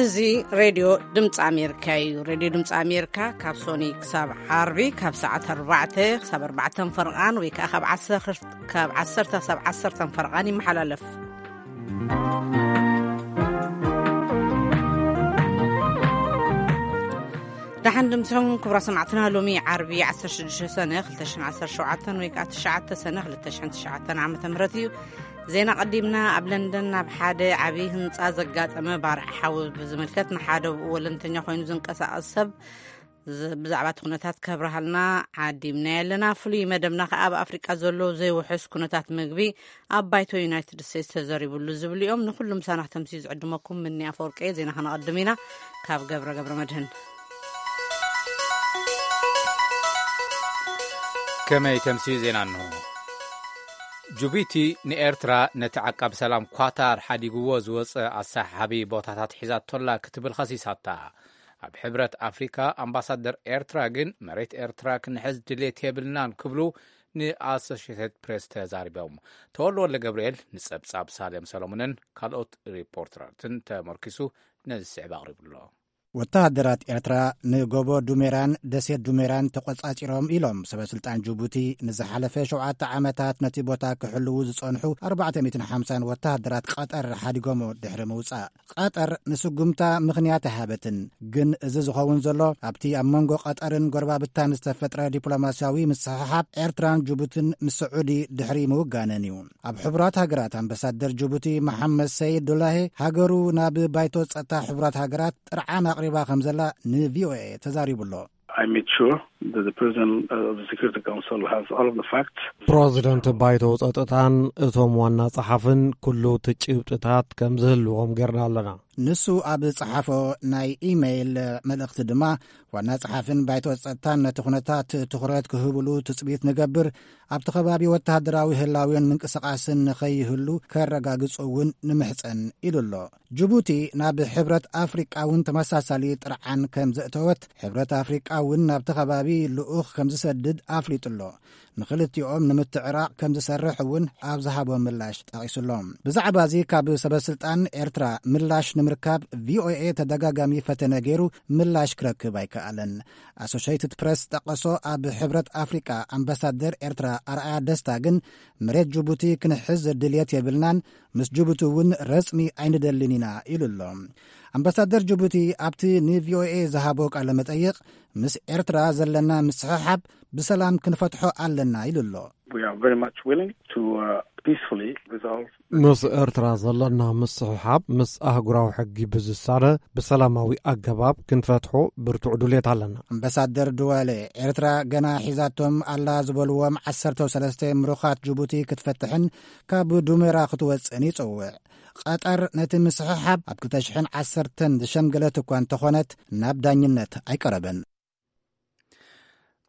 እዚ ሬድዮ ድምፂ ኣሜሪካ እዩ። ሬድዮ ድምፂ ኣሜሪካ ካብ ሶኒ ክሳብ ዓርቢ ካብ ሰዓት ኣርባዕተ ክሳብ ኣርባዕተን ፈርቓን ወይ ከዓ ካብ ዓሰርተ፣ ካብ ዓሰርተ ክሳብ ዓሰርተን ፈርቓን ይመሓላለፍ። ደሓን ድምፅኹም ክቡራ ሰማዕትና፣ ሎሚ ዓርቢ ዓሰርተ ሽዱሽተ ሰነ ክልተ ሽሕን ዓሰርተ ሸውዓተን ወይ ከዓ ትሽዓተ ሰነ ክልተ ሽሕን ትሽዓተን ዓመተ ምህረት እዩ። ዜና ቀዲምና። ኣብ ለንደን ናብ ሓደ ዓብዪ ህንፃ ዘጋጠመ ባርዕ ሓዊ ብዝምልከት ንሓደ ብኡ ወለንተኛ ኮይኑ ዝንቀሳቐስ ሰብ ዝ-፣ ብዛዕባ እቲ ኩነታት ከብርሃልና ዓዲምና ኣለና። ፍሉይ መደብና ከኣ ኣብ ኣፍሪቃ ዘሎ ዘይውሕስ ኩነታት ምግቢ ኣብ ባይቶ ዩናይትድ ስቴትስ ተዘሪቡሉ ዝብሉ እዮም። ንኩሉ ምሳና ክተምስዩ ዝዕድመኩም ምኒ ኣፈወርቂ። ዜና ከነቐድም ኢና ካብ ገብረ ገብረ መድህን። ከመይ ተምስዩ ዜና እንሆ። ጅቡቲ ንኤርትራ ነቲ ዓቃቢ ሰላም ኳታር ሓዲግዎ ዝወጸ ኣሰሓቢ ቦታታት ሒዛቶላ ክትብል ኸሲሳታ። ኣብ ሕብረት ኣፍሪካ ኣምባሳደር ኤርትራ ግን መሬት ኤርትራ ክንሕዝ ድሌት የብልናን ክብሉ ንኣሶሽየትድ ፕሬስ ተዛሪቦም። ተወልደ ወልደ ገብርኤል ንጸብጻብ ሳሌም ሰሎሞንን ካልኦት ሪፖርተራትን ተመርኪሱ ነዚ ስዕብ ኣቕሪቡ ኣሎ። ወተሃደራት ኤርትራ ንጎቦ ዱሜራን ደሴት ዱሜራን ተቖጻጺሮም ኢሎም ሰበ ስልጣን ጅቡቲ። ንዝሓለፈ ሸውዓተ ዓመታት ነቲ ቦታ ክሕልዉ ዝጸንሑ ኣርባዕተ ሚእትን ሓምሳን ወተሃደራት ቀጠር ሓዲጎሞ ድሕሪ ምውጻእ። ቀጠር ንስጉምታ ምኽንያት ኣይሃበትን። ግን እዚ ዝኸውን ዘሎ ኣብቲ ኣብ መንጎ ቀጠርን ጎረባብታን ዝተፈጥረ ዲፕሎማስያዊ ምስሕሓብ ኤርትራን ጅቡትን ምስ ስዑዲ ድሕሪ ምውጋነን እዩ። ኣብ ሕቡራት ሃገራት ኣምባሳደር ጅቡቲ መሓመድ ሰይድ ዱላሄ ሃገሩ ናብ ባይቶ ጸጥታ ሕቡራት ሃገራት ጥርዓን ኣቕሪባ ከም ዘላ ንቪኦኤ ተዛሪቡ ኣሎ። I made sure that the president of the Security Council has all of the facts. ፕረዚደንት ባይቶ ጸጥታን እቶም ዋና ጸሓፍን ኩሉ እቲ ጭብጥታት ከም ዝህልዎም ጌርና ኣለና። ንሱ ኣብ ጸሓፎ ናይ ኢሜይል መልእኽቲ ድማ ዋና ጸሓፍን ባይቶ ጸጥታን ነቲ ኩነታት ትኹረት ክህብሉ ትጽቢት ንገብር፣ ኣብቲ ከባቢ ወተሃደራዊ ህላዌን ምንቅስቓስን ንኸይህሉ ከረጋግጹ እውን ንምሕጸን ኢሉ ኣሎ። ጅቡቲ ናብ ሕብረት ኣፍሪቃ እውን ተመሳሳሊ ጥርዓን ከም ዘእተወት፣ ሕብረት ኣፍሪቃ እውን ናብቲ ከባቢ ልኡኽ ከም ዝሰድድ ኣፍሊጡ ኣሎ። ንኽልቲኦም ንምትዕራቕ ከም ዝሰርሕ እውን ኣብ ዝሃቦ ምላሽ ጠቒሱ ኣሎ። ብዛዕባ እዚ ካብ ሰበ ስልጣን ኤርትራ ምላሽ ንምርካብ ቪኦኤ ተደጋጋሚ ፈተነ ገይሩ ምላሽ ክረክብ ኣይከኣለን። ኣሶሼትድ ፕሬስ ዝጠቀሶ ኣብ ሕብረት ኣፍሪቃ ኣምባሳደር ኤርትራ ኣርኣያ ደስታ ግን መሬት ጅቡቲ ክንሕዝ ድልየት የብልናን፣ ምስ ጅቡቲ እውን ረጽሚ ኣይንደልን ኢና ኢሉ ኣሎ። ኣምባሳደር ጅቡቲ ኣብቲ ንቪኦኤ ዝሃቦ ቃለ መጠይቕ፣ ምስ ኤርትራ ዘለና ምስሕሓብ ብሰላም ክንፈትሖ ኣለና ኢሉ ኣሎ። We are very much willing to, uh, peacefully resolve. ምስ ኤርትራ ዘለና ምስሕሓብ ምስ ኣህጉራዊ ሕጊ ብዝሳነ ብሰላማዊ ኣገባብ ክንፈትሖ ብርቱዕ ድሌት ኣለና። ኣምባሳደር ድዋሌ፣ ኤርትራ ገና ሒዛቶም ኣላ ዝበልዎም ዓሰርተ ሰለስተ ምሩኻት ጅቡቲ ክትፈትሕን ካብ ዱሜራ ክትወጽእን ይጸውዕ። ቀጠር ነቲ ምስሕሓብ ኣብ ክልተ ሽሕን ዓሰርተን ዝሸምገለት እኳ እንተኾነት፣ ናብ ዳኝነት ኣይቀረበን።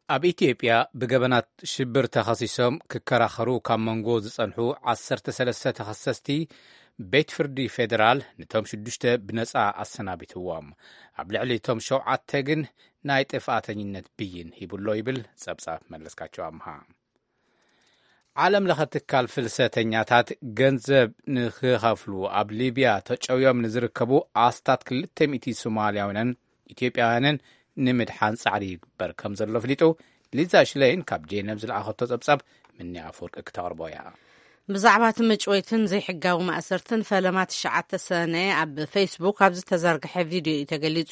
ኣብ ኢትዮጵያ ብገበናት ሽብር ተኸሲሶም ክከራኸሩ ካብ መንጎ ዝጸንሑ ዓሰርተ ሰለስተ ተኸሰስቲ ቤት ፍርዲ ፌደራል ነቶም ሽዱሽተ ብነጻ ኣሰናቢትዎም። ኣብ ልዕሊ እቶም ሸውዓተ ግን ናይ ጥፍኣተኝነት ብይን ሂቡሎ ይብል ጸብጻብ መለስካቸው ኣምሃ። ዓለም ለኸ ትካል ፍልሰተኛታት ገንዘብ ንኽኸፍሉ ኣብ ሊብያ ተጨውዮም ንዝርከቡ ኣስታት ክልተ ሚእቲ ሶማልያውያንን ኢትዮጵያውያንን ንምድሓን ጻዕሪ ይግበር ከም ዘሎ ኣፍሊጡ። ሊዛ ሽለይን ካብ ጄነቭ ዝለኣኸቶ ጸብጻብ ምኒ ኣፈወርቂ ክተቕርቦ እያ። ብዛዕባ እቲ ምጭወይትን ዘይሕጋዊ ማእሰርትን ፈለማ ትሽዓተ ሰነ ኣብ ፌስቡክ ኣብ ዝተዘርግሐ ቪድዮ እዩ ተገሊጹ።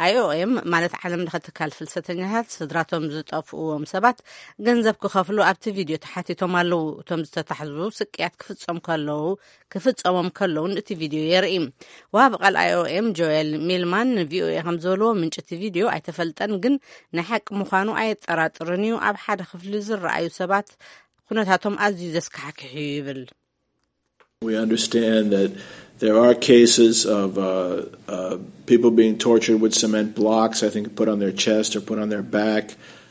ኣይኦኤም ማለት ዓለም ለኸ ትካል ፍልሰተኛታት ስድራቶም ዝጠፍእዎም ሰባት ገንዘብ ክኸፍሉ ኣብቲ ቪድዮ ተሓቲቶም ኣለዉ። እቶም ዝተታሕዙ ስቅያት ክፍጸም ከለዉ፣ ክፍጸሞም ከለዉ እቲ ቪድዮ የርኢ። ወሃቢ ቃል ኣይኦኤም ጆኤል ሚልማን ንቪኦኤ ከም ዝበልዎ፣ ምንጪ እቲ ቪድዮ ኣይተፈልጠን፣ ግን ናይ ሓቂ ምዃኑ ኣየጠራጥርን እዩ። ኣብ ሓደ ክፍሊ ዝረኣዩ ሰባት ኩነታቶም ኣዝዩ ዘስካሕክሕ እዩ ይብል። We understand that there are cases of, uh, uh, people being tortured with cement blocks, I think, put on their chest or put on their back.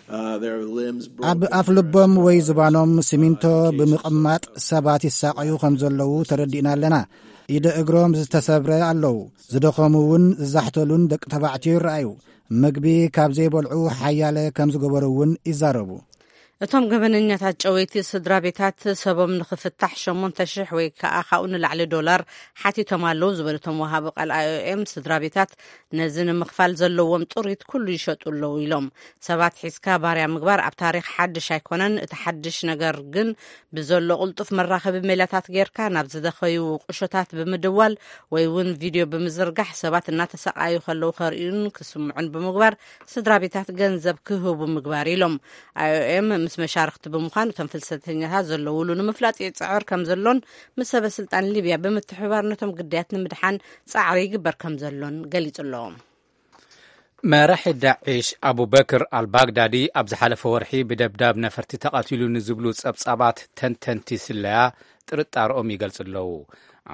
Uh, their limbs ኣብ broken. ኣፍ ልቦም ወይ ዝባኖም ሲሚንቶ ብምቕማጥ ሰባት ይሳቐዩ ከም ዘለዉ ተረዲእና ኣለና። ኢደ እግሮም ዝተሰብረ ኣለዉ። ዝደኸሙ እውን ዝዛሕተሉን ደቂ ተባዕትዮ ይረኣዩ። ምግቢ ካብ ዘይበልዑ ሓያለ ከም ዝገበሩ እውን ይዛረቡ። እቶም ገበነኛታት ጨወይቲ ስድራ ቤታት ሰቦም ንኽፍታሕ ሸሞንተ ሽሕ ወይ ከኣ ካብኡ ንላዕሊ ዶላር ሓቲቶም ኣለዉ ዝበሉ እቶም ወሃቢ ቃል ኣይ ኦ ኤም፣ ስድራ ቤታት ነዚ ንምኽፋል ዘለዎም ጥሪት ኩሉ ይሸጡ ኣለዉ ኢሎም። ሰባት ሒዝካ ባርያ ምግባር ኣብ ታሪኽ ሓድሽ ኣይኮነን። እቲ ሓድሽ ነገር ግን ብዘሎ ቅልጡፍ መራኸቢ ሜላታት ጌርካ ናብ ዝደኸዩ ቁሾታት ብምድዋል ወይ እውን ቪድዮ ብምዝርጋሕ ሰባት እናተሰቃዩ ከለዉ ከርእዩን ክስምዑን ብምግባር ስድራ ቤታት ገንዘብ ክህቡ ምግባር ኢሎም። ኣይ ኦ ኤም ምስ መሻርክቲ ብምዃን እቶም ፍልሰተኛታት ዘለውሉ ንምፍላጥ ይጽዕር ከም ዘሎን ምስ ሰበ ስልጣን ሊብያ ብምትሕብባር ነቶም ግዳያት ንምድሓን ጻዕሪ ይግበር ከም ዘሎን ገሊጹ ኣሎ። መራሒ ዳዒሽ ኣቡበክር ኣልባግዳዲ ኣብ ዝሓለፈ ወርሒ ብደብዳብ ነፈርቲ ተቐቲሉ ንዝብሉ ጸብጻባት ተንተንቲ ስለያ ጥርጣርኦም ይገልጹ ኣለዉ።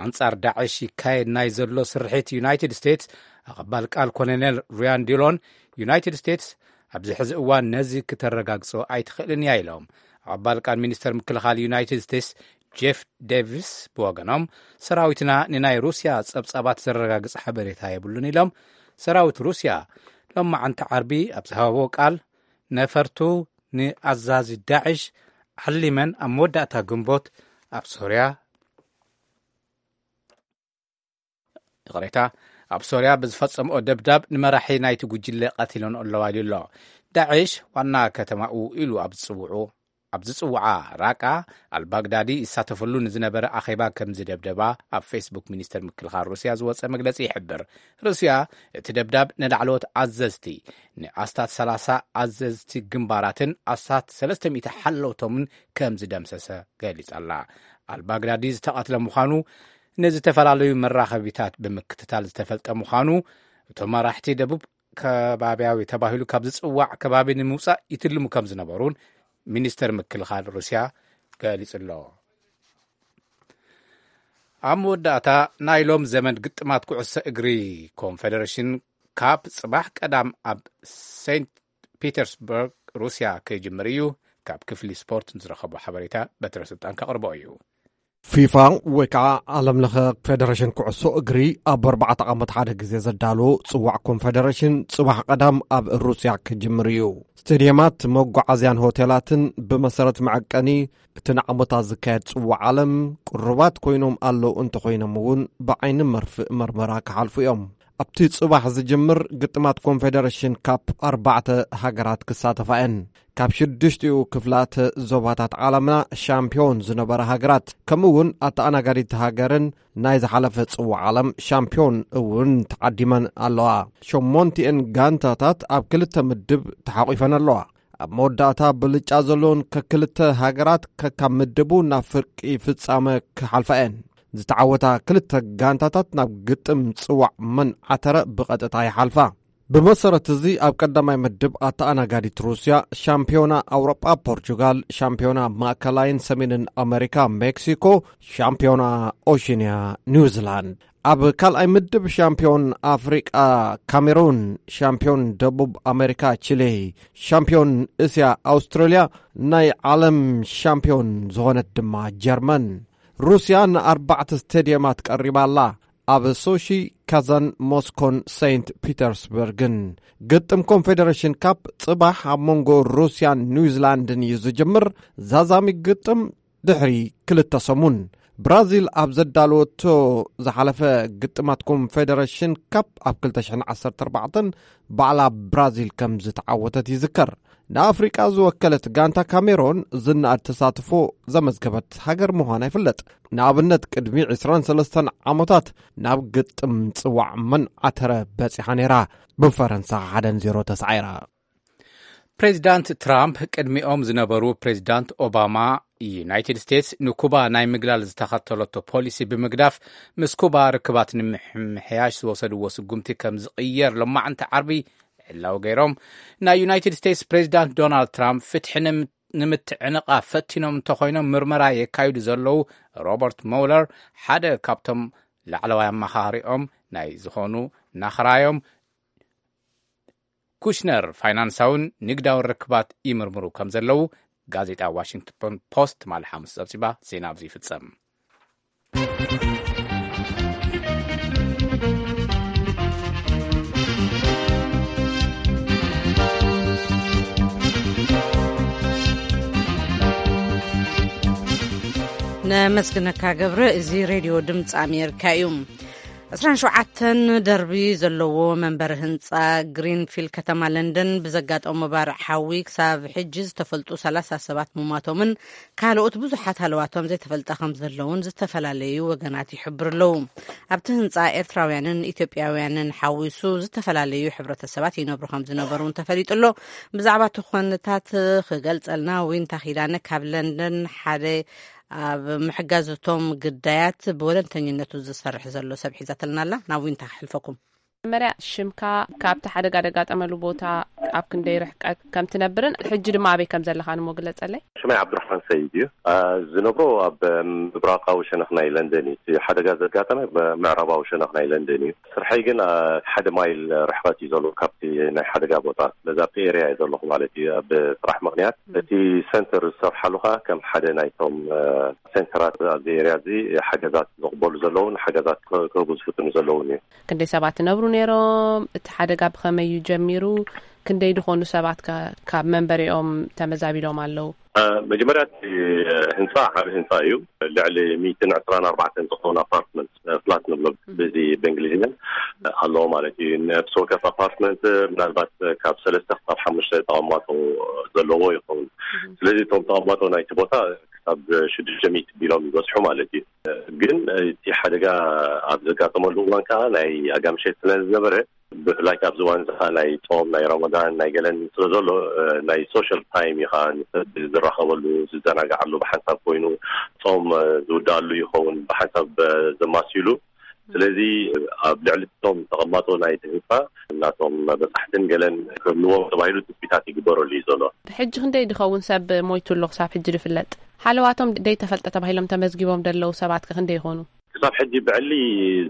ኣንጻር ዳዒሽ ይካየድ ናይ ዘሎ ስርሒት ዩናይትድ ስቴትስ ኣቐባል ቃል ኮሎኔል ሪያን ዲሎን፣ ዩናይትድ ስቴትስ ኣብዚ ሕዚ እዋን ነዚ ክተረጋግጾ ኣይትኽእልን እያ ኢሎም። ኣቐባል ቃል ሚኒስተር ምክልኻል ዩናይትድ ስቴትስ ጄፍ ዴቪስ ብወገኖም፣ ሰራዊትና ንናይ ሩስያ ጸብጻባት ዘረጋግጽ ሓበሬታ የብሉን ኢሎም። ሰራዊት ሩስያ ሎማዓንቲ ዓርቢ ኣብ ዝሃቦ ቃል፣ ነፈርቱ ንኣዛዚ ዳዕሽ ዓሊመን ኣብ መወዳእታ ግንቦት ኣብ ሶርያ፣ ይቕሬታ፣ ኣብ ሶርያ ብዝፈጸምኦ ደብዳብ ንመራሒ ናይቲ ጉጅለ ቀቲለንኦ ኣለዋ ኢሉ ኣሎ። ዳዕሽ ዋና ከተማኡ ኢሉ ኣብ ዝጽውዑ፣ ኣብ ዝጽውዓ ራቃ ኣልባግዳዲ ይሳተፈሉ ንዝነበረ ኣኼባ ከም ዝደብደባ ኣብ ፌስቡክ ሚኒስተር ምክልኻል ሩስያ ዝወጸ መግለጺ ይሕብር። ሩስያ እቲ ደብዳብ ንላዕለዎት ኣዘዝቲ፣ ንኣስታት ሰላሳ ኣዘዝቲ ግንባራትን ኣስታት ሰለስተ ሚእቲ ሓለውቶምን ከም ዝደምሰሰ ገሊጻ ኣላ። ኣልባግዳዲ ዝተቐትለ ምዃኑ ንዝተፈላለዩ መራኸቢታት ብምክትታል ዝተፈልጠ ምዃኑ፣ እቶም መራሕቲ ደቡብ ከባቢያዊ ተባሂሉ ካብ ዝጽዋዕ ከባቢ ንምውጻእ ይትልሙ ከም ዝነበሩን ሚኒስተር ምክልኻል ሩስያ ገሊጹ ኣሎ። ኣብ መወዳእታ፣ ናይ ሎም ዘመን ግጥማት ኩዕሶ እግሪ ኮንፌደሬሽን ካፕ ጽባሕ ቀዳም ኣብ ሴንት ፒተርስበርግ ሩስያ ክጅምር እዩ። ካብ ክፍሊ ስፖርት ንዝረኸቦ ሓበሬታ በትረ ስልጣን ከቕርቦ እዩ። ፊፋ ወይ ከዓ ዓለም ለኸ ፌደሬሽን ኩዕሶ እግሪ ኣብ ኣርባዕተ ዓመት ሓደ ግዜ ዘዳሎ ጽዋዕ ኮንፌደሬሽን ጽባሕ ቀዳም ኣብ ሩስያ ክጅምር እዩ። ስቴድየማት፣ መጓዓዝያን ሆቴላትን ብመሰረት መዐቀኒ እቲ ንዓመታት ዝካየድ ጽዋዕ ዓለም ቅሩባት ኮይኖም ኣለዉ እንተኾይኖም እውን ብዓይኒ መርፍእ መርመራ ክሓልፉ እዮም። ኣብቲ ጽባሕ ዝጅምር ግጥማት ኮንፌደሬሽን ካፕ ኣርባዕተ ሃገራት ክሳተፋ እየን። ካብ ሽዱሽቲኡ ክፍላት ዞባታት ዓለምና ሻምፒዮን ዝነበራ ሃገራት ከምኡ እውን ኣተኣናጋዲት ሃገርን ናይ ዝሓለፈ ጽዋዕ ዓለም ሻምፒዮን እውን ተዓዲመን ኣለዋ። ሸሞንቲኤን ጋንታታት ኣብ ክልተ ምድብ ተሓቂፈን ኣለዋ። ኣብ መወዳእታ ብልጫ ዘለውን ከክልተ ሃገራት ከካብ ምድቡ ናብ ፍርቂ ፍጻመ ክሓልፋ እየን። ዝተዓወታ ክልተ ጋንታታት ናብ ግጥም ጽዋዕ መን ዓተረ ብቐጥታ ይሓልፋ። ብመሰረት እዚ ኣብ ቀዳማይ ምድብ ኣተኣናጋዲት ሩስያ፣ ሻምፒዮና ኣውሮጳ ፖርቹጋል፣ ሻምፒዮና ማእከላይን ሰሜንን ኣመሪካ ሜክሲኮ፣ ሻምፒዮና ኦሽንያ ኒውዚላንድ። ኣብ ካልኣይ ምድብ ሻምፒዮን ኣፍሪቃ ካሜሩን፣ ሻምፒዮን ደቡብ ኣመሪካ ቺሌ፣ ሻምፒዮን እስያ ኣውስትራልያ፣ ናይ ዓለም ሻምፒዮን ዝኾነት ድማ ጀርመን። ሩስያ ንኣርባዕተ ስቴድየማት ቀሪባ ኣላ። ኣብ ሶሺ፣ ካዛን፣ ሞስኮን ሴንት ፒተርስበርግን። ግጥም ኮንፌደሬሽን ካፕ ጽባሕ ኣብ መንጎ ሩስያን ኒውዚላንድን እዩ ዝጅምር። ዛዛሚ ግጥም ድሕሪ ክልተ ሰሙን። ብራዚል ኣብ ዘዳለወቶ ዝሓለፈ ግጥማት ኮንፌደሬሽን ካፕ ኣብ ክልተ ሽሕን ዓሰርተ ኣርባዕተን ባዕላ ብራዚል ከም ዝተዓወተት ይዝከር። ንኣፍሪቃ ዝወከለት ጋንታ ካሜሮን ዝነኣድ ተሳትፎ ዘመዝገበት ሃገር ምዃና ይፍለጥ። ንኣብነት፣ ቅድሚ ዕስራን ሰለስተን ዓመታት ናብ ግጥም ጽዋዕ መን ዓተረ በጺሓ ነይራ፣ ብፈረንሳ ሓደ ንዜሮ ተሳዒራ። ፕሬዚዳንት ትራምፕ ቅድሚኦም ዝነበሩ ፕሬዚዳንት ኦባማ፣ ዩናይትድ ስቴትስ ንኩባ ናይ ምግላል ዝተኸተለቶ ፖሊሲ ብምግዳፍ፣ ምስ ኩባ ርክባት ንምሕያሽ ዝወሰድዎ ስጉምቲ ከም ዝቕየር ሎማዕንቲ ዓርቢ ዕላዊ ገይሮም። ናይ ዩናይትድ ስቴትስ ፕሬዚዳንት ዶናልድ ትራምፕ ፍትሒ ንም-፣ ንምትዕንቓፍ ፈቲኖም እንተኾይኖም፣ ምርመራ የካይዱ ዘለዉ ሮበርት ሞለር ሓደ ካብቶም ላዕለዋይ ኣማኻሪኦም ናይ ዝኾኑ ናኽራዮም ኩሽነር ፋይናንሳውን ንግዳውን ርክባት ይምርምሩ ከም ዘለዉ ጋዜጣ ዋሽንግተን ፖስት ትማሊ ሓሙስ ጸብጺባ። ዜና ኣብዚ ይፍጸም። ነመስግነካ ገብረ። እዚ ሬድዮ ድምፂ ኣሜሪካ እዩ። ዕስራን ሸውዓተን ደርቢ ዘለዎ መንበሪ ህንፃ ግሪንፊል ከተማ ለንደን ብዘጋጠሞ ባርዕ ሓዊ ክሳብ ሕጂ ዝተፈልጡ ሰላሳ ሰባት ምሟቶምን ካልኦት ብዙሓት ሃለዋቶም ዘይተፈልጠ ከም ዘለውን ዝተፈላለዩ ወገናት ይሕብሩ ኣለዉ። ኣብቲ ህንፃ ኤርትራውያንን ኢትዮጵያውያንን ሓዊሱ ዝተፈላለዩ ሕብረተሰባት ይነብሩ ከም ዝነበሩ እውን ተፈሊጡ ኣሎ። ብዛዕባ እቲ ኩነታት ክገልጸልና ዊንታ ኪዳነ ካብ ለንደን ሓደ ኣብ ምሕጋዝ እቶም ግዳያት ብወለንተኝነቱ ዝሰርሕ ዘሎ ሰብ ሒዛትልና ኣላ። ናብ ዊንታ ክሕልፈኩም። መጀመርያ ሽምካ፣ ካብቲ ሓደጋ ደጋጠመሉ ቦታ ኣብ ክንደይ ርሕቀት ከም ትነብርን ሕጂ ድማ ኣበይ ከም ዘለኻን እሞ ግለጸለይ። ሽመይ ዓብዱራሕማን ሰይድ እዩ። አ፣ ዝነብሮ ኣብ ምብራቓዊ ሸነኽ ናይ ለንደን እዩ። እቲ ሓደጋ ዘጋጠመ ምዕራባዊ ሸነኽ ናይ ለንደን እዩ። ስርሐይ ግን፣ አ፣ ሓደ ማይል ርሕቐት እዩ ዘሎ ካብቲ ናይ ሓደጋ ቦታ። ስለዚ ኣብቲ ኤርያ እየ ዘለኹ ማለት እዩ። ኣብ ስራሕ ምኽንያት እቲ ሰንተር ዝሰርሓሉ ኸኣ ከም ሓደ ናይቶም፣ አ፣ ሴንተራት ኣብዚ ኤርያ እዚ ሓገዛት ዝቕበሉ ዘለውን ሓገዛት ክህቡ ዝፍትኑ ዘለውን እዩ። ክንደይ ሰባት ይነብሩ ነይሮም? እቲ ሓደጋ ብኸመይ እዩ ጀሚሩ? ክንደይ ዝኾኑ ሰባት ከ ካብ መንበሪኦም ተመዛቢሎም ኣለዉ? አ፣ መጀመርያ እቲ ህንፃ ዓቢ ህንፃ እዩ። ልዕሊ ሚእትን ዕስራን ኣርባዕተን ዝኾኑ ኣፓርትመንት፣ አ፣ ፍላት ንብሎ በዚ በእንግሊዝኛን ኣለዎ ማለት እዩ። ነፍሲ ወከፍ ኣፓርትመንት ምናልባት ካብ ሰለስተ ክሳብ ሓሙሽተ ተቐማጦ ዘለዎ ይኸውን። ስለዚ እቶም ተቐማጦ ናይቲ ቦታ ክሳብ ሽዱሽተ ሚእቲ ቢሎም ይበጽሑ ማለት እዩ። ግን እቲ ሓደጋ ኣብ ዘጋጠመሉ እዋን ከዓ ናይ ኣጋምሸት ስለ ዝነበረ፣ ብፍላይ ኣብዚ እዋን እዚ ከዓ ናይ ጾም፣ ናይ ረመዳን፣ ናይ ገለን ስለ ዘሎ፣ እ፣ ናይ ሶሻል ታይም እዩ ከዓ ንሰብ ዝራኸበሉ፣ ዝዘናግዓሉ ብሓንሳብ ኮይኑ፣ ጾም፣ እ፣ ዝውድኣሉ ይኸውን ብሓንሳብ፣ እ፣ ዘማስይሉ። ስለዚ ኣብ ልዕሊ እቶም ተቐማጦ ናይቲ ህንፃ ናቶም በጻሕትን ገለን ክህልዎም ተባሂሉ ትጽቢታት ይግበረሉ እዩ ዘሎ። ሕጂ ክንደይ ድኸውን ሰብ ሞይቱ ኣሎ ክሳብ ሕጂ ድፍለጥ? ሓለዋቶም ደይተፈልጠ ተባሂሎም ተመዝጊቦም ደለዉ ሰባት ከ ክንደይ ይኾኑ? ክሳብ ሕጂ ብዕሊ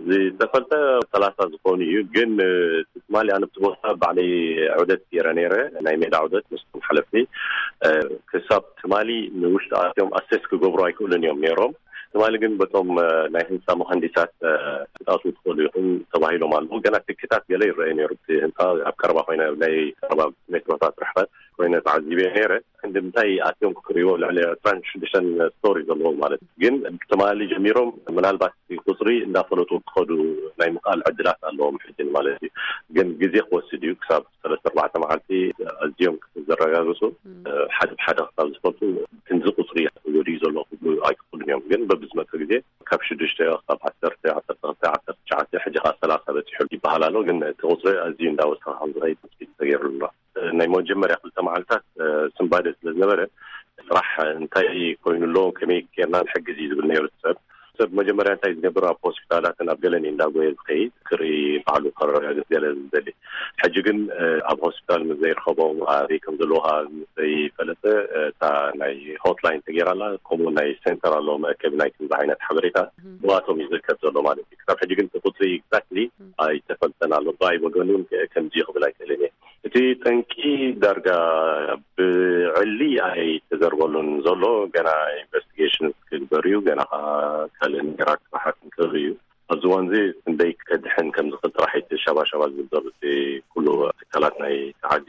ዝተፈልጠ ሰላሳ ዝኾኑ እዩ። ግን፣ እ፣ ትማሊ ኣነ ኣብቲ ቦታ ባዕለይ ዑደት ገይረ ነይረ፣ ናይ ሜዳ ዑደት ምስቶም ሓለፍቲ። እ፣ ክሳብ ትማሊ ንውሽጢ ኣትዮም ኣሴስ ክገብሩ ኣይክእሉን እዮም ነይሮም። ትማሊ ግን በቶም፣ እ፣ ናይ ህንፃ መሃንዲሳት፣ እ፣ ክትኣትዉ ትኽእሉ ኢኹም ተባሂሎም ኣለዉ። ገና ትክታት ገለ ይረኣዩ ነይሩ። እቲ ህንፃ ኣብ ቀረባ ኮይነ፣ ናይ ቀረባ ሜትሮታት ርሕቐት ኮይነ ተዓዚበ ነይረ። ክንዲ ምንታይ ኣትዮም ክርእይዎ፣ ልዕሊ ዕስራን ሽዱሽተን ስቶሪ ዘለዎ ማለት እዩ። ግን ትማሊ ጀሚሮም ምናልባት እቲ ቁፅሪ እንዳፈለጡ ክኸዱ ናይ ምኽኣል ዕድላት ኣለዎም ሕጂ ማለት እዩ። ግን ግዜ ክወስድ እዩ። ክሳብ ሰለስተ ኣርባዕተ መዓልቲ ኣዝዮም ዘረጋግፁ፣ ሓደ ብሓደ ክሳብ ዝፈልጡ ክንዚ ቁፅሪ ወዲኡ ዘሎ ክብሉ ኣይክኽእሉን እዮም። ግን በብዝመፀ ግዜ ካብ ሽዱሽተ ክሳብ ዓሰርተ፣ ዓሰርተ ክልተ፣ ዓሰርተ ትሽዓተ፣ ሕጂ ከዓ ሰላሳ በፂሑ ይበሃል ኣሎ። ግን እቲ ቁፅሪ ኣዝዩ እንዳወሰኸ ከም ዝኸይድ ትፅቢት ተገይሩሉ ኣሎ። ናይ መጀመርያ ክልተ መዓልታት፣ እ፣ ስንባደ ስለ ዝነበረ፣ ስራሕ እንታይ ኮይኑ ኣሎ፣ ከመይ ጌርና ንሕግዝ እዩ ዝብል ነይሩ ሰብ። ሰብ መጀመርያ እንታይ ዝገብር፣ ኣብ ሆስፒታላትን ኣብ ገለን እዩ እንዳጎየ ዝኸይድ፣ ክርኢ፣ ባዕሉ ከረጋግጽ ገለ ዝደሊ። ሕጂ ግን፣ እ፣ ኣብ ሆስፒታል ምስ ዘይረኸቦም፣ ኣበይ ከም ዘለዉ ከዓ ምስ ዘይፈለጠ፣ እ፣ እታ ናይ ሆትላይን ተገይራ ኣላ፣ ከምኡ ናይ ሴንተር ኣሎ፣ መእከቢ ናይ ከምዚ ዓይነት ሓበሬታ፣ እም። ብኣቶም እዩ ዝእከብ ዘሎ ማለት እዩ። ክሳብ ሕጂ ግን እቲ ቁጽሪ ኤግዛክትሊ እም። ኣይተፈልጠን ኣሎ። ብኣይ ወገን እውን ከምዚ እዩ ክብል ኣይክእልን እየ። እቲ ጠንቂ ዳርጋ ብዕሊ ኣይተዘርበሉን ዘሎ፣ ገና ኢንቨስቲጌሽን ክግበር እዩ፣ ገና ከዓ ካልእ ነገራት ስራሓት ክግበር እዩ። ኣብዚ እዋን እዚ ክንደይ ከድሕን ከም ዝኽእል ጥራሕ እቲ ሸባሸባ ዝብል ዘሎ እቲ ኩሉ ትካላት ናይ ዓዲ፣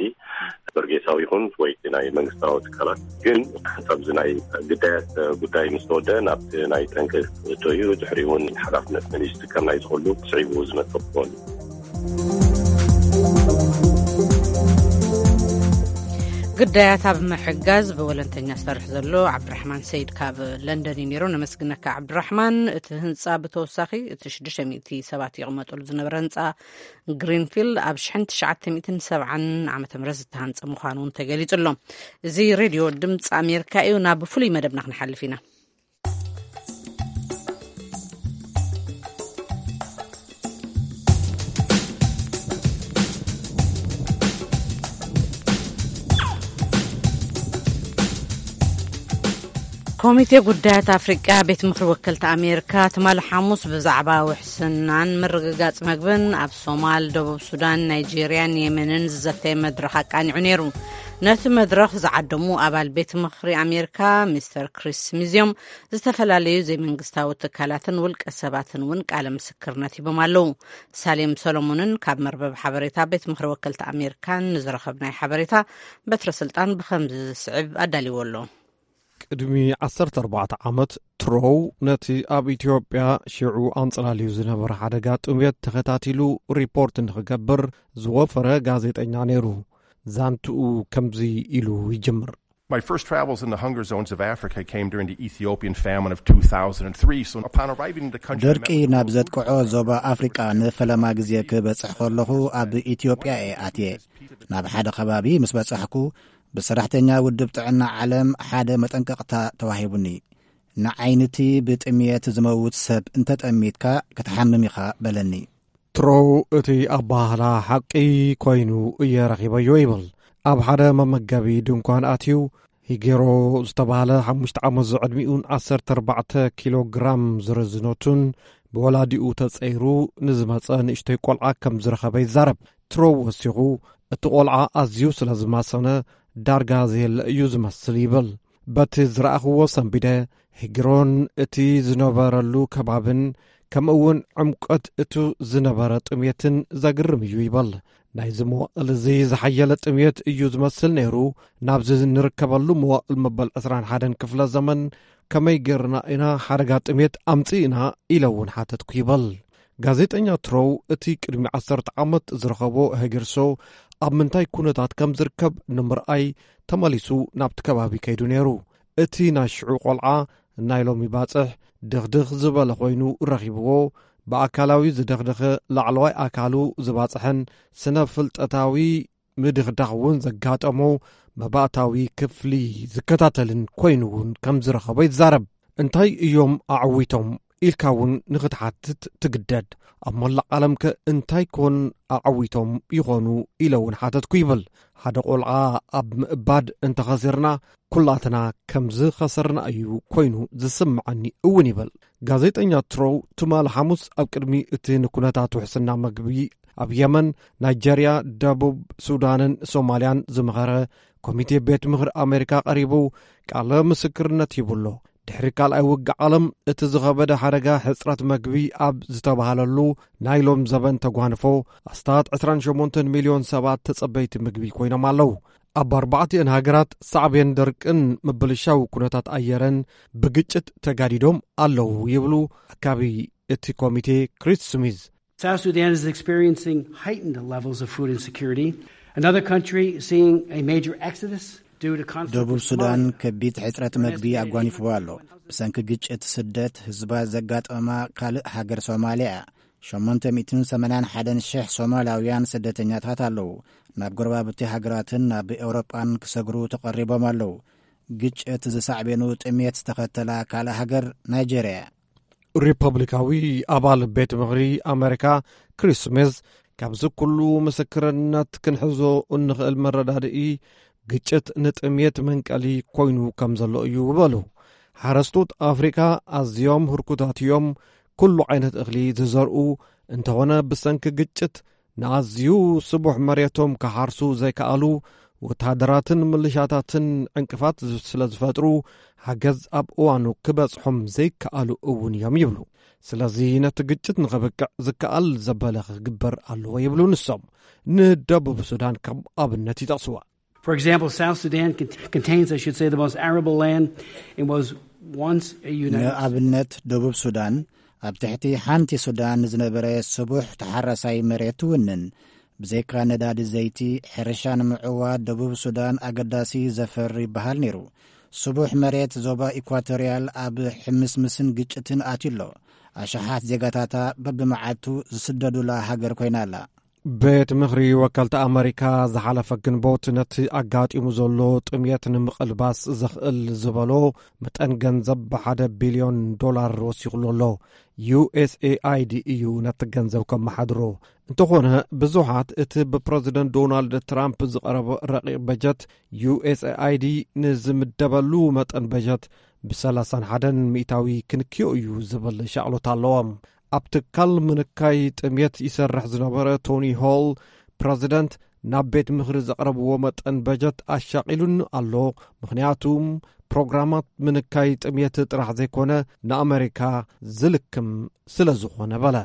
በርጌሳዊ ይኹን ወይ እቲ ናይ መንግስታዊ ትካላት። ግን ሓንሳብ እዚ ናይ ግዳያት ጉዳይ ምስ ተወደአ ናብቲ ናይ ጠንቂ ክእቶ እዩ። ድሕሪኡ እውን ሓላፍነት መን እዩ ዝጥቀም ናይ ዝኽእሉ ስዒቡ ዝመጽእ ክኸውን እዩ። ግዳያት ኣብ ምሕጋዝ ብወለንተኛ ዝሰርሕ ዘሎ ዓብድራሕማን ሰይድ ካብ ለንደን እዩ ነይሩ። ነመስግነካ ዓብድራሕማን። እቲ ህንፃ ብተወሳኺ እቲ ሽዱሽተ ሚእቲ ሰባት ይቕመጠሉ ዝነበረ ህንፃ ግሪንፊልድ ኣብ ሽሕን ትሽዓተ ሚእትን ሰብዓን ዓመተ ምህረት ዝተሃንፀ ምዃኑ እውን ተገሊጹ ኣሎ። እዚ ሬድዮ ድምፂ ኣሜሪካ እዩ። ናብ ፍሉይ መደብና ክንሓልፍ ኢና። ኮሚቴ ጉዳያት ኣፍሪቃ ቤት ምኽሪ ወከልቲ ኣሜሪካ ትማሊ ሓሙስ ብዛዕባ ውሕስናን ምርግጋጽ መግብን ኣብ ሶማል፣ ደቡብ ሱዳን፣ ናይጄርያን የመንን ዝዘተየ መድረኽ ኣቃኒዑ ነይሩ። ነቲ መድረኽ ዝዓደሙ ኣባል ቤት ምኽሪ ኣሜሪካ ሚስተር ክሪስ ስሚዝ እዮም። ዝተፈላለዩ ዘይመንግስታዊ ትካላትን ውልቀ ሰባትን እውን ቃለ ምስክርነት ሂቦም ኣለዉ። ሳሌም ሰሎሞንን ካብ መርበብ ሓበሬታ ቤት ምኽሪ ወከልቲ ኣሜሪካን ንዝረኸብናይ ሓበሬታ በትረ ስልጣን ብኸምዚ ዝስዕብ ኣዳልዎ ኣሎ። ቅድሚ ዓሰርተ ኣርባዕተ ዓመት ትሮው ነቲ ኣብ ኢትዮጵያ ሽዑ ኣንጸላልዩ ዝነበረ ሓደጋ ጥሜት ተኸታቲሉ ሪፖርት ንኽገብር ዝወፈረ ጋዜጠኛ ነይሩ። ዛንትኡ ከምዚ ኢሉ ይጅምር። My first travels in the hunger zones of Africa came during the Ethiopian famine of two thousand three. So upon arriving in the country, I met ደርቂ with ናብ ዘጥቅዖ ዞባ ኣፍሪቃ ንፈለማ ግዜ ክበጽሕ ከለኹ ኣብ ኢትዮጵያ እየ ኣትየ። ናብ ሓደ ከባቢ ምስ በጻሕኩ ብሰራሕተኛ ውድብ ጥዕና ዓለም ሓደ መጠንቀቕታ ተዋሂቡኒ። ንዓይንቲ ብጥምየት ዝመውት ሰብ እንተጠሚትካ ክትሓምም ኢኻ በለኒ። ትሮው እቲ ኣባህላ ሓቂ ኮይኑ እየ ረኺበዮ ይብል። ኣብ ሓደ መመገቢ ድንኳን ኣትዩ ሂጌሮ ዝተባህለ ሓሙሽተ ዓመት ዝዕድሚኡን ዓሰርተ ኣርባዕተ ኪሎ ግራም ዝርዝኖቱን ብወላዲኡ ተጸይሩ ንዝመጸ ንእሽቶይ ቆልዓ ከም ዝረኸበ ይዛረብ። ትሮው ወሲኹ እቲ ቆልዓ ኣዝዩ ስለ ዝማሰነ ዳርጋ ዘየለ እዩ ዝመስል ይብል። በቲ ዝረኣኽዎ ሰንቢደ ሂግሮን እቲ ዝነበረሉ ከባብን ከምኡ እውን ዕምቆት እቱ ዝነበረ ጥሜትን ዘግርም እዩ ይብል። ናይዚ መዋእል እዚ ዝሓየለ ጥሜት እዩ ዝመስል ነይሩ። ናብዚ ንርከበሉ መዋእል መበል ዕስራን ሓደን ክፍለ ዘመን ከመይ ገርና ኢና ሓደጋ ጥሜት ኣምጽእና ኢለ እውን ሓተትኩ ይብል። ጋዜጠኛ ትሮው እቲ ቅድሚ ዓሰርተ ዓመት ዝረኸቦ ህግርሶ ኣብ ምንታይ ኩነታት ከም ዝርከብ ንምርኣይ ተመሊሱ ናብቲ ከባቢ ከይዱ ነይሩ። እቲ ናይ ሽዑ ቆልዓ ናይ ሎሚ ባጽሕ ድኽድኽ ዝበለ ኮይኑ ረኺብዎ። ብኣካላዊ ዝደኽደኸ ላዕለዋይ ኣካሉ ዝባጽሐን ስነ ፍልጠታዊ ምድኽዳኽ እውን ዘጋጠሞ መባእታዊ ክፍሊ ዝከታተልን ኮይኑ እውን ከም ዝረኸቦ ይዛረብ። እንታይ እዮም ኣዕዊቶም ኢልካ እውን ንኽትሓትት ትግደድ። ኣብ መላእ ዓለምከ እንታይ ኮን ኣዕዊቶም ይኾኑ ኢለ እውን ሓተትኩ ይብል። ሓደ ቆልዓ ኣብ ምእባድ እንተኸሲርና ኩላትና ከም ዝኸሰርና እዩ ኮይኑ ዝስምዓኒ እውን ይብል። ጋዜጠኛ ትሮው ትማሊ ሓሙስ ኣብ ቅድሚ እቲ ንኩነታት ውሕስና መግቢ ኣብ የመን፣ ናይጀርያ፣ ደቡብ ሱዳንን ሶማልያን ዝመኸረ ኮሚቴ ቤት ምኽሪ ኣሜሪካ ቀሪቡ ቃለ ምስክርነት ሂቡ ኣሎ። ድሕሪ ካልኣይ ውግእ ዓለም እቲ ዝኸበደ ሓደጋ ሕጽረት መግቢ ኣብ ዝተባህለሉ ናይ ሎም ዘበን ተጓንፎ ኣስታት ዕስራን ሸሞንተን ሚልዮን ሰባት ተጸበይቲ ምግቢ ኮይኖም ኣለዉ። ኣብ ኣርባዕቲአን ሃገራት ሳዕቤን ደርቅን ምብልሻው ኩነታት ኣየረን ብግጭት ተጋዲዶም ኣለዉ ይብሉ ኣካቢ እቲ ኮሚቴ ክሪስ ስሚዝ። South Sudan is experiencing heightened levels of food insecurity. Another country seeing a major exodus due to conflict ደቡብ with ሱዳን Somalia. ከቢድ ሕጽረት መግቢ ኣጓኒፍዎ ኣሎ። ብሰንኪ ግጭት ስደት ህዝባ ዘጋጠማ ካልእ ሃገር ሶማልያ እያ። ሸሞንተ ሚእትን ሰማንያን ሓደን ሽሕ ሶማላውያን ስደተኛታት ኣለዉ። ናብ ጎረባብቲ ሃገራትን ናብ ኤውሮጳን ክሰግሩ ተቐሪቦም ኣለዉ። ግጭት ዝሳዕቤኑ ጥሜት ዝተኸተላ ካልእ ሃገር ናይጀርያ እያ። ሪፐብሊካዊ ኣባል ቤት ምኽሪ ኣሜሪካ ክሪስ ስሚዝ፣ ካብዚ ኩሉ ምስክርነት ክንሕዞ እንኽእል መረዳድኢ ግጭት ንጥሜት መንቀሊ ኮይኑ ከም ዘሎ እዩ በሉ። ሓረስቶት ኣፍሪካ ኣዝዮም ህርኩታት እዮም። ኩሉ ዓይነት እኽሊ ዝዘርኡ እንተኾነ ብሰንኪ ግጭት ንኣዝዩ ስቡሕ መሬቶም ክሓርሱ ዘይከኣሉ፣ ወተሃደራትን ምልሻታትን ዕንቅፋት ስለ ዝፈጥሩ ሓገዝ ኣብ እዋኑ ክበጽሖም ዘይከኣሉ እውን እዮም ይብሉ። ስለዚ ነቲ ግጭት ንኽብቅዕ ዝከኣል ዘበለ ክግበር ኣለዎ ይብሉ ንሶም። ንደቡብ ሱዳን ከም ኣብነት ይጠቕስዋ። For example, South Sudan cont- contains, I should say, the most arable land and was once a United ንኣብነት ደቡብ ሱዳን ኣብ ትሕቲ ሓንቲ ሱዳን ዝነበረ ስቡሕ ተሓራሳይ መሬት ትውንን። ብዘይካ ነዳዲ ዘይቲ፣ ሕርሻ ንምዕዋት ደቡብ ሱዳን ኣገዳሲ ዘፈር ይበሃል ነይሩ። ስቡሕ መሬት ዞባ ኢኳቶርያል ኣብ ሕምስምስን ግጭትን ኣትዩ ኣሎ። ኣሽሓት ዜጋታታ በብመዓልቱ ዝስደዱላ ሃገር ኮይና ኣላ። ቤት ምኽሪ ወከልቲ ኣመሪካ ዝሓለፈ ግንቦት ነቲ ኣጋጢሙ ዘሎ ጥሜት ንምቕልባስ ዘኽእል ዝበሎ መጠን ገንዘብ ብሓደ ቢልዮን ዶላር ወሲኹሉ ኣሎ። ዩኤስኤኣይዲ እዩ ነቲ ገንዘብ ከመሓድሮ። እንተኾነ ብዙሓት እቲ ብፕረዚደንት ዶናልድ ትራምፕ ዝቐረበ ረቂቕ በጀት ዩኤስኤኣይዲ ንዝምደበሉ መጠን በጀት ብሰላሳን ሓደን ሚእታዊ ክንክዮ እዩ ዝብል ሻቕሎት ኣለዎም። ኣብ ትካል ምንካይ ጥሜት ይሰርሕ ዝነበረ ቶኒ ሆል፣ ፕረዚደንት ናብ ቤት ምኽሪ ዘቕረብዎ መጠን በጀት ኣሻቒሉኒ ኣሎ፣ ምኽንያቱ ፕሮግራማት ምንካይ ጥሜት ጥራሕ ዘይኮነ ንኣመሪካ ዝልክም ስለ ዝኾነ በለ።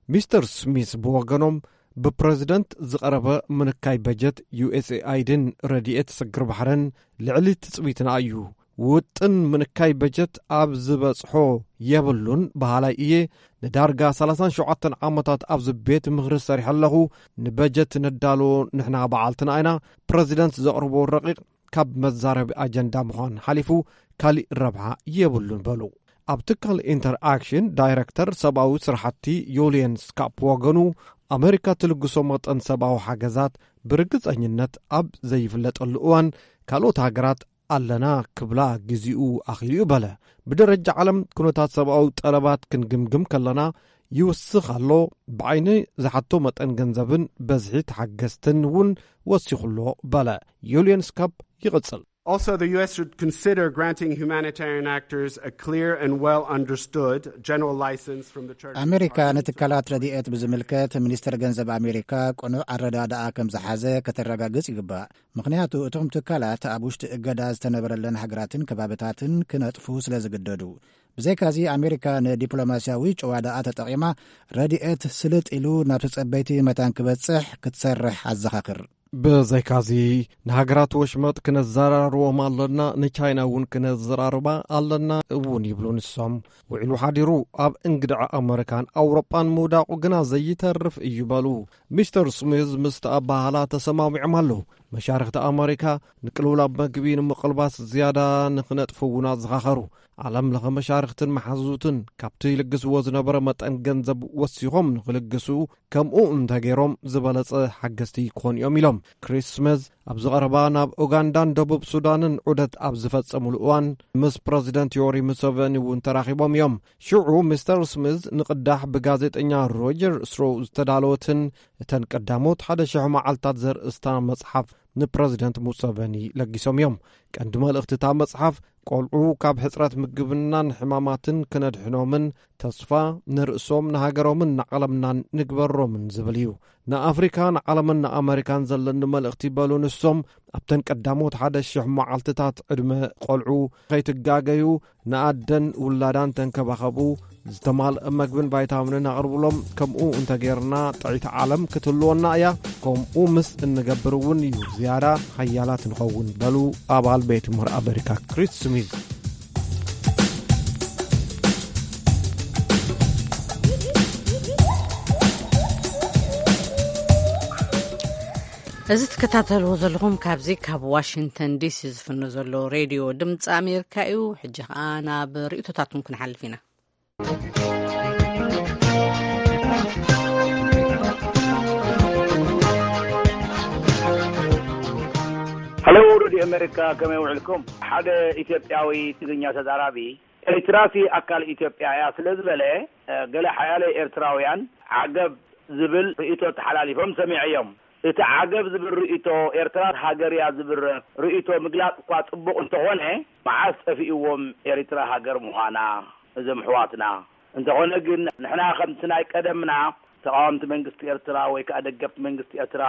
ሚስተር ስሚስ ብወገኖም ብፕረዚደንት ዝቐረበ ምንካይ በጀት ዩኤስኤኣይድን ረድኤት ሰግር ባሕርን ልዕሊ ትጽቢትና እዩ። ውጥን ምንካይ በጀት ኣብ ዝበጽሖ የብሉን በሃላይ እየ። ንዳርጋ ሰላሳን ሸውዓተን ዓመታት ኣብዚ ቤት ምኽሪ ሰሪሐ ኣለኹ። ንበጀት ነዳልዎ ንሕና በዓልትና ኢና። ፕረዚደንት ዘቕርቦ ረቂቕ ካብ መዛረቢ ኣጀንዳ ምዃን ሓሊፉ ካሊእ ረብሓ የብሉን በሉ። ኣብ ትካል ኢንተርኣክሽን ዳይረክተር ሰብኣዊ ስራሕቲ ዮልየን ስካፕ ወገኑ፣ ኣመሪካ ትልግሶ መጠን ሰብኣዊ ሓገዛት ብርግጸኝነት ኣብ ዘይፍለጠሉ እዋን ካልኦት ሃገራት ኣለና ክብላ ግዜኡ ኣኺሉ እዩ በለ። ብደረጃ ዓለም ኩነታት ሰብኣዊ ጠለባት ክንግምግም ከለና ይውስኽ ኣሎ። ብዓይኒ ዝሓቶ መጠን ገንዘብን በዝሒ ተሓገዝትን እውን ወሲኹ ኣሎ በለ። ዩልየን ስካፕ ይቕጽል። Also, the U S should consider granting humanitarian actors a clear and well understood general license from the Church. ኣሜሪካ ንትካላት ረድኤት ብዝምልከት ሚኒስተር ገንዘብ ኣሜሪካ ቅኑዕ ኣረዳድኣ ከም ዝሓዘ ከተረጋግጽ ይግባእ። ምኽንያቱ እቶም ትካላት ኣብ ውሽጢ እገዳ ዝተነበረለን ሃገራትን ከባብታትን ክነጥፉ ስለ ዝግደዱ። ብዘይካዚ ኣሜሪካ ንዲፕሎማስያዊ ጭዋዳኣ ተጠቒማ ረድኤት ስልጥ ኢሉ ናብ ተጸበይቲ መታን ክበጽሕ ክትሰርሕ ኣዘኻኽር። ብዘይካዚ ንሃገራት ወሽመጥ ክነዘራርቦም ኣለና፣ ንቻይና እውን ክነዘራርባ ኣለና እውን ይብሉ ንሶም። ውዒሉ ሓዲሩ ኣብ እንግድዐ ኣመሪካን ኣውሮጳን ምውዳቑ ግና ዘይተርፍ እዩ በሉ። ሚስተር ስሚዝ ምስቲ ኣባህላ ተሰማሚዖም ኣለዉ። መሻርኽቲ ኣመሪካ ንቅልውላብ መግቢ ንምቕልባስ ዝያዳ ንኽነጥፉ እውን ኣዘኻኸሩ። ዓለም ለኸ መሻርኽትን መሓዙትን ካብቲ ይልግስዎ ዝነበረ መጠን ገንዘብ ወሲኾም ንኽልግሱ፣ ከምኡ እንተገይሮም ዝበለጸ ሓገዝቲ ክኾኑ እዮም ኢሎም። ክሪስ ስሚዝ ኣብዚ ቀረባ ናብ ኡጋንዳን ደቡብ ሱዳንን ዑደት ኣብ ዝፈጸሙሉ እዋን ምስ ፕረዚደንት ዮሪ ሙሰቨኒ እውን ተራኺቦም እዮም። ሽዑ ሚስተር ስሚዝ ንቕዳሕ ብጋዜጠኛ ሮጀር ስሮው ዝተዳለወትን እተን ቀዳሞት ሓደ ሽሕ መዓልታት ዘርእስታ መጽሓፍ ንፕረዚደንት ሙሰቨኒ ለጊሶም እዮም። ቀንዲ መልእኽቲ እታ መጽሓፍ ቆልዑ ካብ ሕጽረት ምግብናን ሕማማትን ክነድሕኖምን ተስፋ ንርእሶም ንሃገሮምን ንዓለምናን ንግበሮምን ዝብል እዩ። ንኣፍሪካ ንዓለምን ንኣመሪካን ዘለኒ መልእኽቲ በሉ ንሶም ኣብተን ቀዳሞት ሓደ ሽሕ መዓልትታት ዕድመ ቆልዑ ከይትጋገዩ ንኣደን ውላዳን ተንከባኸቡ፣ ዝተማልአ መግብን ቫይታሚንን ኣቕርብሎም። ከምኡ እንተጌርና ጥዕይቲ ዓለም ክትህልወና እያ። ከምኡ ምስ እንገብር እውን እዩ ዝያዳ ሓያላት ንኸውን በሉ ኣባል ቤት ምኽሪ ኣመሪካ ክሪስ ስሚዝ። እዚ ትከታተልዎ ዘለኹም ካብዚ ካብ ዋሽንግተን ዲሲ ዝፍኖ ዘሎ ሬድዮ ድምፂ ኣሜሪካ እዩ። ሕጂ ኸዓ ናብ ርእይቶታትኩም ክንሓልፍ ኢና። ሀሎ፣ ሬድዮ ኣሜሪካ፣ ከመይ ውዕልኩም? ሓደ ኢትዮጵያዊ ትግርኛ ተዛራቢ፣ ኤርትራሲ ኣካል ኢትዮጵያ እያ ስለ ዝበለ፣ ገለ ሓያለ ኤርትራውያን ዓገብ ዝብል ርእይቶ ተሓላሊፎም ሰሚዐዮም። እቲ ዓገብ ዝብል ርእይቶ፣ ኤርትራ ሃገር እያ ዝብል ርእይቶ ምግላጽ እኳ ጽቡቕ እንተኾነ፣ መዓስ ጠፊእዎም ኤርትራ ሃገር ምዃና እዞም ኣሕዋትና? እንተኾነ ግን፣ ንሕና ከምቲ ናይ ቀደምና ተቓወምቲ መንግስቲ ኤርትራ ወይ ከኣ ደገፍቲ መንግስቲ ኤርትራ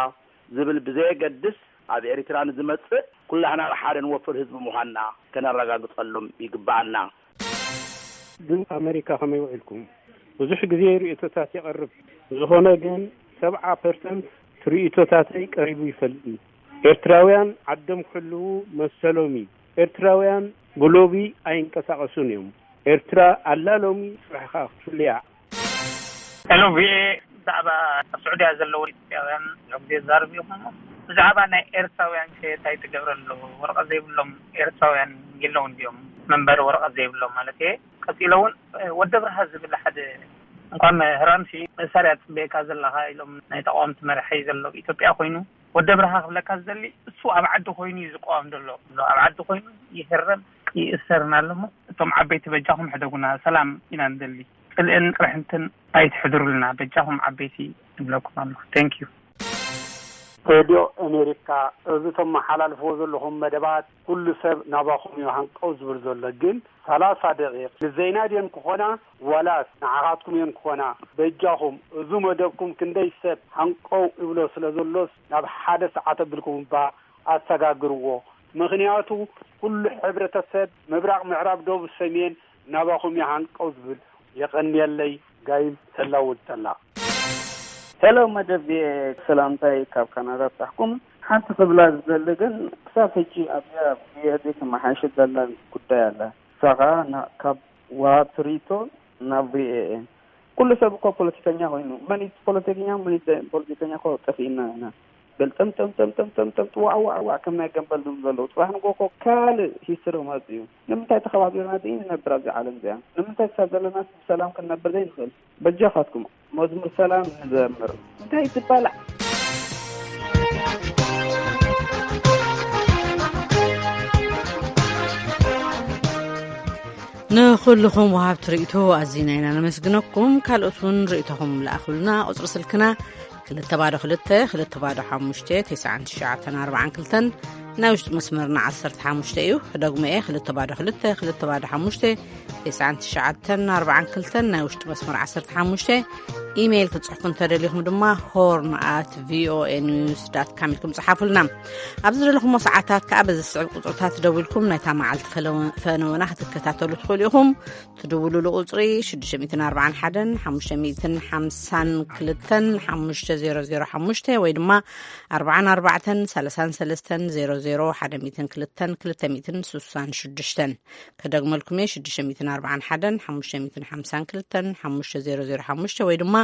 ዝብል ብዘየገድስ፣ ኣብ ኤርትራ ንዝመጽእ ኩላህና ሓደ ንወፍር ህዝቢ ምዃንና ከነረጋግጸሎም ይግብኣና። ግን ኣመሪካ ከመይ ውዒልኩም? ብዙሕ ግዜ ርእይቶታት የቕርብ። ብዝኾነ ግን፣ ሰብዓ ፐርሰንት ርእይቶታተይ ቀሪቡ ይፈልጥ እዩ። ኤርትራውያን ዓዶም ክሕልዉ መሰሎም እዩ። ኤርትራውያን ብሎቢ ኣይንቀሳቐሱን እዮም። ኤርትራ ኣላ ሎሚ፣ ጽባሕ ከኣ ክትፍልያ። ሄሎ፣ ቪኦኤ፣ ብዛዕባ ኣብ ስዑድያ ዘለዉ ኢትዮጵያውያን ብዙሕ ግዜ ዝዛረብ እዩ። ብዛዕባ ናይ ኤርትራውያን ከ እንታይ ትገብረ ኣሎ? ወረቐት ዘይብሎም ኤርትራውያን የለውን ድዮም? መንበሪ ወረቐት ዘይብሎም ማለት እየ። ቀጺሎ እውን ወዲ ኣብርሃ ዝብል ሓደ፣ እንኳን ህራምሲ መሳርያ ትጽበየካ ዘለኻ ኢሎም ናይ ተቃወምቲ መራሒ ዘሎ ኢትዮጵያ ኮይኑ፣ ወዲ ኣብርሃ ክብለካ ዝደሊ፣ እሱ ኣብ ዓዲ ኮይኑ እዩ ዝቃወም ዘሎ። ኣብ ዓዲ ኮይኑ ይህረም ይእሰርን ኣሎ እሞ፣ እቶም ዓበይቲ በጃኹም ሕደጉና፣ ሰላም ኢና ንደሊ፣ ጽልእን ቅርሕንትን ኣይትሕድሩልና በጃኹም ዓበይቲ ንብለኩም ኣለኹ። Thank you። ሬድዮ ኣሜሪካ፣ እዚ ተመሓላልፍዎ ዘለኹም መደባት ኩሉ ሰብ ናባኹም እዩ ሃንቀው ዝብል ዘሎ። ግን ሰላሳ ደቂቕ ንዘይናድየን ክኾና ዋላስ ንዓኻትኩም እየን ክኾና? በጃኹም፣ እዚ መደብኩም ክንደይ ሰብ ሃንቀው ይብሎ ስለ ዘሎስ ናብ ሓደ ሰዓት ኣቢልኩም እባ ኣሰጋግርዎ። ምኽንያቱ ኩሉ ሕብረተሰብ ምብራቕ፣ ምዕራብ፣ ደቡብ፣ ሰሜን ናባኹም እዩ ሃንቀው ዝብል። የቐንየለይ። ጋይም ሰላው ዝጠላ። ሄሎ መደብ ቪኦኤ፣ ሰላምታይ ካብ ካናዳ ብጻሕኩም። ሓንቲ ክብላ ዝደሊ ግን፣ ክሳብ ሕጂ ኣብዚኣ ብኤርዲ ክመሓየሽ ዘላን ጉዳይ ኣላ። ንሳ ኸኣ ና-፣ ካብ ወሃብቲ ርእይቶ ናብ ቪኦኤ። ኩሉ ሰብ እኮ ፖለቲከኛ ኮይኑ፣ መን እዩ ፖለቲከኛ፣ መን እዩ ዘይ-፣ ፖለቲከኛ እኮ ጠፊእና ኢና። በል ጠም፣ ጠም፣ ጠም፣ ጠም፣ ጠም፣ ጠም፣ ዋዕ፣ ዋዕ፣ ዋዕ፣ ከም ናይ ገምበል ድም ዘለዉ። ጽባሕ ንግሆ እኮ ካልእ ሂስትሪ ክመጽእ እዩ። ንምንታይ ተኸባቢርና ዘይንነብር ኣብዚ ዓለም እዚኣ? ንምንታይ ክሳብ ዘለናስ ብሰላም ክንነብር ዘይንኽእል? በጃኻትኩም መዝሙር ሰላም ንዘምር። እንታይ ትበላዕ? ንኹልኹም ወሃብቲ ርእይቶ ኣዚና ኢና ነመስግነኩም። ካልኦት እውን ርእይቶኹም ለኣኹልና። ቁጽሪ ስልክና ክልተ ባዶ ክልተ፣ ክልተ ባዶ ሓሙሽተ፣ ተስዓን ትሽዓተን ኣርባዓን ክልተን፣ ናይ ውሽጢ መስመርና ዓሰርተ ሓሙሽተ እዩ። ክደግሞ እየ፣ ክልተ ባዶ ክልተ፣ ክልተ ባዶ ሓሙሽተ፣ ተስዓን ትሽዓተን ኣርባዓን ክልተን፣ ናይ ውሽጢ መስመር ዓሰርተ ሓሙሽተ። ኢሜይል ክትጽሕፉ እንተደሊኹም ድማ ሆርን ኣት ቪኦኤ ኒውስ ዳት ካም ኢልኩም ጽሓፉልና። ኣብ ዝደለኹሞ ሰዓታት ከኣ በዚ ዝስዕብ ቁጽርታት ደዊልኩም ናይታ መዓልቲ ፈለወ-፣ ፈነወና ክትከታተሉ ትኽእሉ ኢኹም። ትድውሉሉ ቁጽሪ ሽዱሽተ ሚእትን ኣርባዓን ሓደን ሓሙሽተ ሚእትን ሓምሳን ክልተን ሓሙሽተ ዜሮ ዜሮ ሓሙሽተ ወይ ድማ ኣርባዓን ኣርባዕተን ሰላሳን ሰለስተን ዜሮ ዜሮ ሓደ ሚእትን ክልተን ክልተ ሚእትን ስሳን ሽዱሽተን። ከደግመልኩም እየ፣ ሽዱሽተ ሚእትን ኣርባዓን ሓደን ሓሙሽተ ሚእትን ሓምሳን ክልተን ሓሙሽተ ዜሮ ዜሮ ሓሙሽተ ወይ ድማ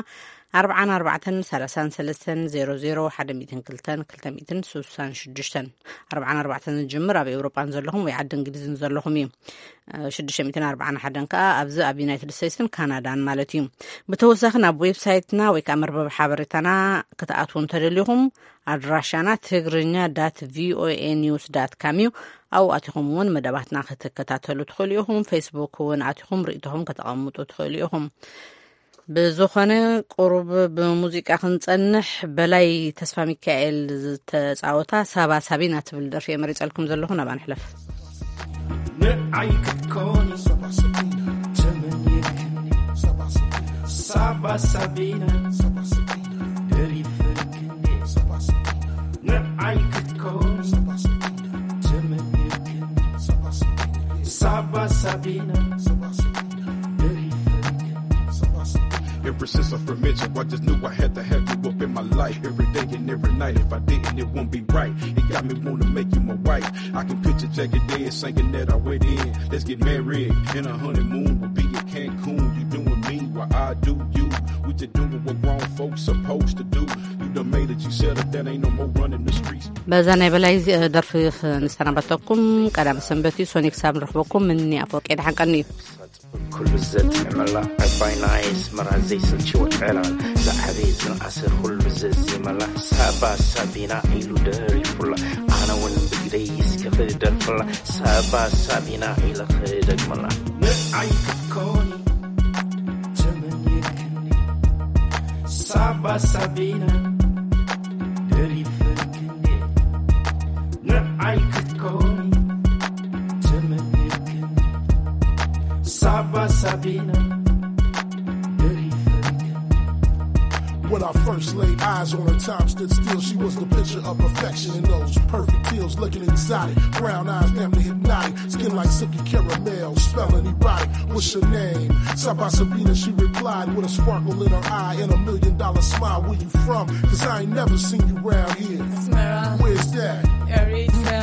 ኣርባዓን ኣርባዕተን ሰላሳን ሰለስተን ዜሮ ዜሮ ሓደ ሚእትን ክልተን ክልተ ሚእትን ስሳን ሽዱሽተን። ኣርባዓን ኣርባዕተን ዝጅምር ኣብ ኤውሮጳን ዘለኹም ወይ ዓዲ እንግሊዝን ዘለኹም እዩ። ሽዱሽተ ሚእትን ኣርባዓን ሓደን ከኣ ኣብዚ ኣብ ዩናይትድ ስቴትስን ካናዳን ማለት እዩ። ብተወሳኺ ናብ ዌብሳይትና ወይ ከኣ መርበብ ሓበሬታና ክትኣትዉ እንተደሊኹም ኣድራሻና ትግርኛ ዳት ቪኦኤ ኒውስ ዳት ካም እዩ። ኣብኡ ኣቲኹም እውን መደባትና ክትከታተሉ ትኽእሉ ኢኹም። ፌስቡክ እውን ኣቲኹም ርእይቶኹም ከተቐምጡ ትኽእሉ ኢኹም። ብዝኾነ ቁሩብ ብሙዚቃ ክንጸንሕ፣ በላይ ተስፋ ሚካኤል ዝተጻወታ ሳባ ሳቢና ትብል ደርፊ እየ መሪጸልኩም ዘለኹ። ናብኣ ንሕለፍ። ንዓይ ክትኮኒ ሳባ ሳቢና ተመኒትክኒ፣ ሳባ ሳቢና፣ ሳባ ሳቢና፣ ሳባ ሳቢና ደሪፈክኒ፣ ሳባ ሳቢና። ንዓይ ክትኮኒ ሳባ ሳቢና ተመኒትክኒ፣ ሳባ ሳቢና፣ ሳባ ሳቢና፣ ሳባ ሳቢና ደሪፈክኒ፣ ሳባ ሳቢና። Ever since I first met you, I just knew I had to have you up in my life every day and every night. If I didn't, it won't be right. It got me wanna make you my wife. I can picture Jagged Edge singing that I went in. Let's get married in a honeymoon. We'll be in Cancun. You doing me while I do you. We just doing what grown folks supposed to do. You done made it. You settled down. Ain't no more running the streets. በዛ ናይ በላይ ዚ-፣ ደርፊ ንሰናበተኩም። ቀዳም ሰንበት እዩ። ሶኒ ክሳብ ንረኽበኩም። ምኒ ኣፈወርቂ ደሓን ቀኒ እዩ። ኩሉ ዘጥዕመላ ዕባይ ናይ ኣስመራ ዘይሰልችዎ ዕላል ዝዓበየ ዝነኣሰ ኩሉ ዘዚመላ ሳባ ሳቢና ኢሉ ደሪፉላ ኣነ እውን ብግደይ እስከ ክደርፍላ ሳባ ሳቢና ኢለ ክደግመላ ንዓይ ክትኮኒ ተመኒትክኒ ሳባ ሳቢና ደሪፈክኒ ንዓይ ክትኮኒ ተመኒትክኒ ሳባ ሳቢና ደሪፈክኒ When I first laid eyes on her, time stood still. She was the picture of perfection in those perfect heels, looking exotic. Brown eyes, damn near hypnotic. Skin like silky caramel, smelling erotic. What's your name? Saba Sabina, she replied with a sparkle in her eye and a million dollar smile. Where you from? Cause I ain't never seen you round here. Smera. Where's that? Eritrea.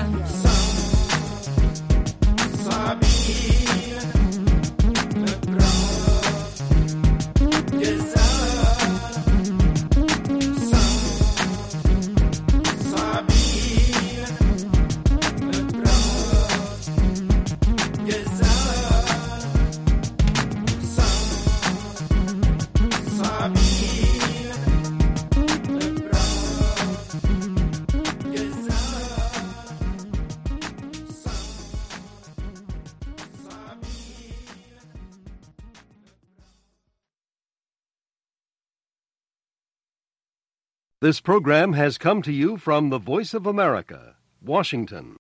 This program has come to you from the Voice of America, Washington.